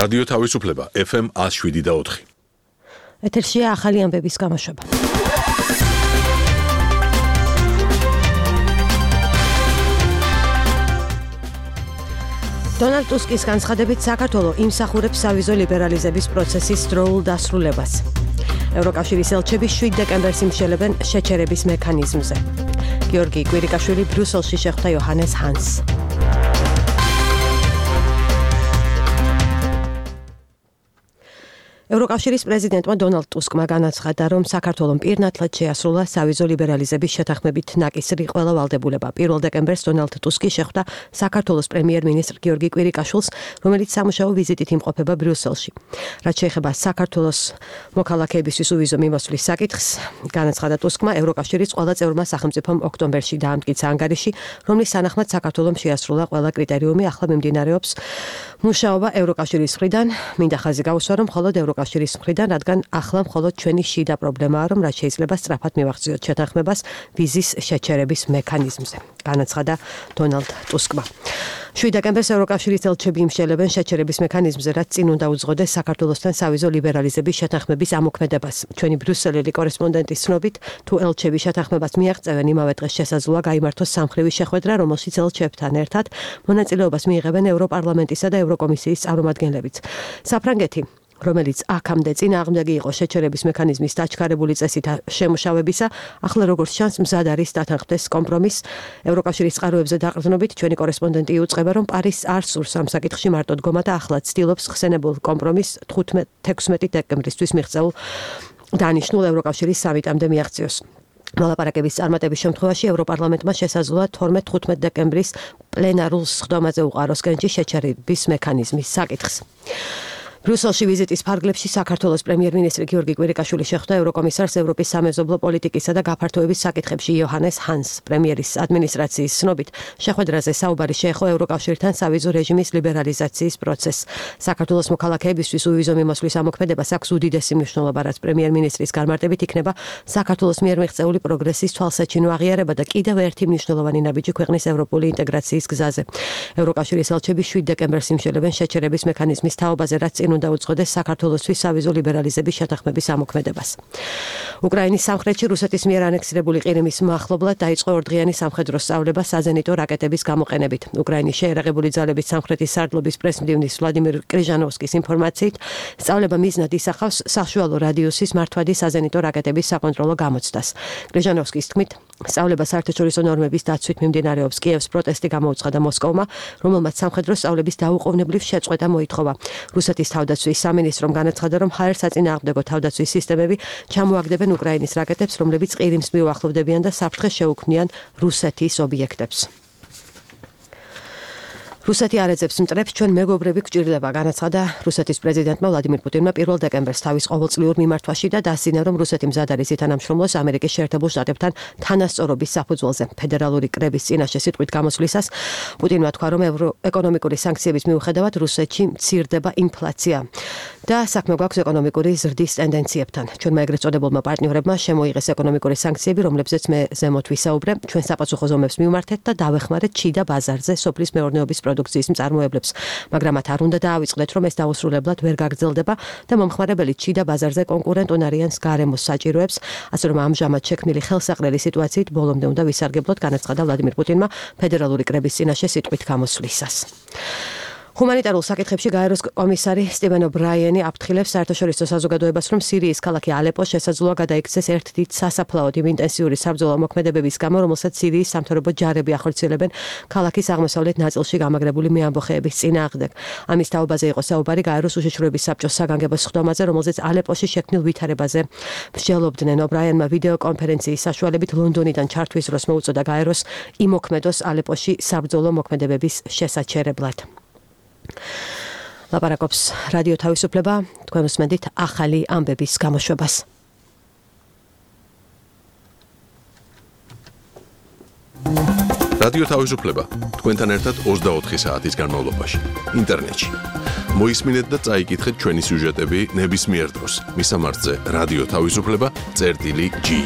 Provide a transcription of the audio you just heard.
რადიო თავისუფლება FM 107.4. ეთერშია ახალი ამბების გამოშვება. დონალდ ტუსკის განცხადებით საქართველო იმსახურებს სავიზო ლიბერალიზების პროცესის დროულ დასრულებას. ევროკავშირის ელჩები 7 დეკემბერს იმშელებენ შეჩერების მექანიზმზე. გიორგი კვირიკაშვილი ბრიუსელში შეხვდა იოჰანეს ჰანსს. ევროკავშირის პრეზიდენტმა დონალდ ტუსკმა განაცხადა, რომ საქართველომ პირნათლად შეასრულა სავიზო ლიბერალიზების შეთანხმებით ნაკისრი ყველა ვალდებულება. 1 დეკემბერს დონალდ ტუსკი შეხვდა საქართველოს პრემიერ-მინისტრ გიორგი კვირიკაშვილს, რომელიც სამუშაო ვიზიტით იმყოფება ბრიუსელში. რაც შეეხება საქართველოს მოქალაქეებისთვის უვიზო მიმოსვლის საკითხს, განაცხადა ტუსკმა, ევროკავშირის ყველა წევრმა სახელმწიფომ ოქტომბერში დაამტკიცა ანგარიში, რომლის თანახმად საქართველომ შეასრულა ყველა კრიტერიუმი. ახლა მიმდინარეობს მუშაობა ევროკავშირის მხრიდან. მინდა ხაზი გაუსვა, რომ მხოლოდ ევროკავშირის მხრიდან, რადგან ახლა მხოლოდ ჩვენი შიდა პრობლემაა, რომ რაც შეიძლება სწრაფად მივახციოთ შეთანხმებას ვიზის შეჩერების მექანიზმზე, განაცხადა დონალდ ტუსკმა. 7 დეკემბერს ევროკავშირის ელჩები იმშელებენ შეჩერების მექანიზმზე, რაც წინ უნდა უძღოდეს საქართველოსთან სავიზო ლიბერალიზების შეთანხმების ამოქმედებას. ჩვენი ბრიუსელელი კორესპონდენტის ცნობით, თუ ელჩები შეთანხმებას მიაღწევენ, იმავე დღეს შესაძლოა გაიმართოს სამხრივი შეხვედრა, რომელშიც ელჩებთან ერთად მონაწილეობას მიიღებენ ევროპარლამენტისა და ევროკომისიის წარმომადგენლებიც. საფრანგეთი, რომელიც აქამდე წინააღმდეგი იყო შეჩერების მექანიზმის დაჩქარებული წესით შემუშავებისა, ახლა როგორც ჩანს მზად არის დათანხმდეს კომპრომისს. ევროკავშირის წყაროებზე დაყრდნობით ჩვენი კორესპონდენტი იუწყება, რომ პარიზს არ სურს ამ საკითხში მარტო დგომა და ახლა ცდილობს ხსენებულ კომპრომისს 16 დეკემბრისთვის მიღწეულ დანიშნულ ევროკავშირის სამიტამდე მიაღწიოს. მოლაპარაკების წარმატების შემთხვევაში ევროპარლამენტმა შესაძლოა 12-15 დეკემბრის პლენარულ სხდომაზე უყაროს კენჭი შეჩერების მექანიზმის საკითხს. ბრიუსელში ვიზიტის ფარგლებში საქართველოს პრემიერ-მინისტრი გიორგი კვირიკაშვილი შეხვდა ევროკომისარს ევროპის სამეზობლო პოლიტიკისა და გაფართოების საკითხებში იოჰანეს ჰანსს. პრემიერის ადმინისტრაციის ცნობით, შეხვედრაზე საუბარი შეეხო ევროკავშირთან სავიზო რეჟიმის ლიბერალიზაციის პროცესს. საქართველოს მოქალაქეებისთვის უვიზო მიმოსვლის ამოქმედებას აქვს უდიდესი მნიშვნელობა, რაც პრემიერ-მინისტრის განმარტებით იქნება საქართველოს მიერ მიღწეული პროგრესის თვალსაჩინო აღიარება და კიდევ ერთი მნიშვნელოვანი ნაბიჯი ქვეყნის ევროპული ინტეგრაციის გზაზე. ევროკავშირის ელჩები 7 დეკემბერს იმშელებენ შეჩერების მექანიზმის თაობაზე, რაც უნდა უძღოდეს საქართველოსთვის სავიზო ლიბერალიზების შეთანხმების ამოქმედებას. უკრაინის სამხრეთში რუსეთის მიერ ანექსირებული ყირიმის მახლობლად დაიწყო ორდღიანი სამხედრო სწავლება საზენიტო რაკეტების გამოყენებით. უკრაინის შეერაღებული ძალების სამხრეთის სარდლობის პრესმდივნის ვლადიმირ კრიჟანოვსკის ინფორმაციით, სწავლება მიზნად ისახავს საშუალო რადიუსის მართვადი საზენიტო რაკეტების საკონტროლო გამოცდას. კრიჟანოვსკის თქმით, სწავლება საერთაშორისო ნორმების დაცვით მიმდინარეობს. კიევს პროტესტი გამოუცხადა მოსკოვმა, რომელმაც სამხედრო სწავლების დაუყოვნებლივ შეწყვეტა მოითხოვა. რუსეთის თავდაცვის სამინისტრომ განაცხადა, რომ ჰაერ-საწინააღმდეგო თავდაცვის სისტემები ჩამოაგდებენ უკრაინის რაკეტებს, რომლებიც ყირიმს მიუახლოვდებიან და საფრთხეს შეუქმნიან რუსეთის ობიექტებს. რუსეთი არ ეძებს მტრებს, ჩვენ მეგობრები გვჭირდება, განაცხადა რუსეთის პრეზიდენტმა ვლადიმირ პუტინმა 1 დეკემბერს თავის ყოველწლიურ მიმართვაში და დასძინა, რომ რუსეთი მზად არის ითანამშრომლოს ამერიკის შეერთებულ შტატებთან თანასწორობის საფუძველზე. ფედერალური კრების წინაშე სიტყვით გამოსვლისას პუტინმა თქვა, რომ ეკონომიკური სანქციების მიუხედავად რუსეთში მცირდება ინფლაცია და საქმე გვაქვს ეკონომიკური ზრდის ტენდენციებთან. ჩვენმა ეგრეთ წოდებულმა პარტნიორებმა შემოიღეს ეკონომიკური სანქციები, რომლებზეც მე ზემოთ ვისაუბრე. ჩვენ საპასუხო ზომებს მივმართეთ და დავეხმარეთ ჩიდა ბაზარზე სოფლის მეურნეობის პროდუქციის მწარმოებლებს, მაგრამ მათ არ უნდა დაავიწყდეთ, რომ ეს დაუსრულებლად ვერ გაგრძელდება და მომხმარებელი ჩიდა ბაზარზე კონკურენტ უნარიან გარემოს საჭიროებს, ასე რომ ამჟამად შექმნილი ხელსაყრელი სიტუაციით ბოლომდე უნდა ვისარგებლოთ, განაცხადა ვლადიმირ პუტინმა ფედერალური კრების წინაშე სიტყვით გამოსვლისას. ჰუმანიტარულ საკითხებში გაეროს კომისარი სტივენ ობრაიენი აფრთხილებს საერთაშორისო საზოგადოებას, რომ სირიის ქალაქი ალეპო შესაძლოა გადაიქცეს ერთ დიდ სასაფლაოდ იმ ინტენსიური საბრძოლო მოქმედებების გამო, რომელსაც სირიის სამთავრობო ჯარები ახორციელებენ ქალაქის აღმოსავლეთ ნაწილში გამაგრებული მეამბოხეების წინააღმდეგ. ამის თაობაზე იყო საუბარი გაეროს უშიშროების საბჭოს საგანგებო სხდომაზე, რომელზეც ალეპოში შექმნილ ვითარებაზე მსჯელობდნენ. ობრაიენმა ვიდეო კონფერენციის საშუალებით ლონდონიდან ჩართვის დროს მოუწოდა გაეროს იმოქმედოს ალეპოში საბრძოლო მოქმედებების შესაჩერებლად. ლაპარაკობს რადიო თავისუფლება, თქვენ უსმენთ ახალი ამბების გამოშვებას. რადიო თავისუფლება თქვენთან ერთად 24 საათის განმავლობაში ინტერნეტში. მოისმინეთ და წაიკითხეთ ჩვენი სიუჟეტები ნებისმიერ დროს. მისამართზე რადიო თავისუფლება.ge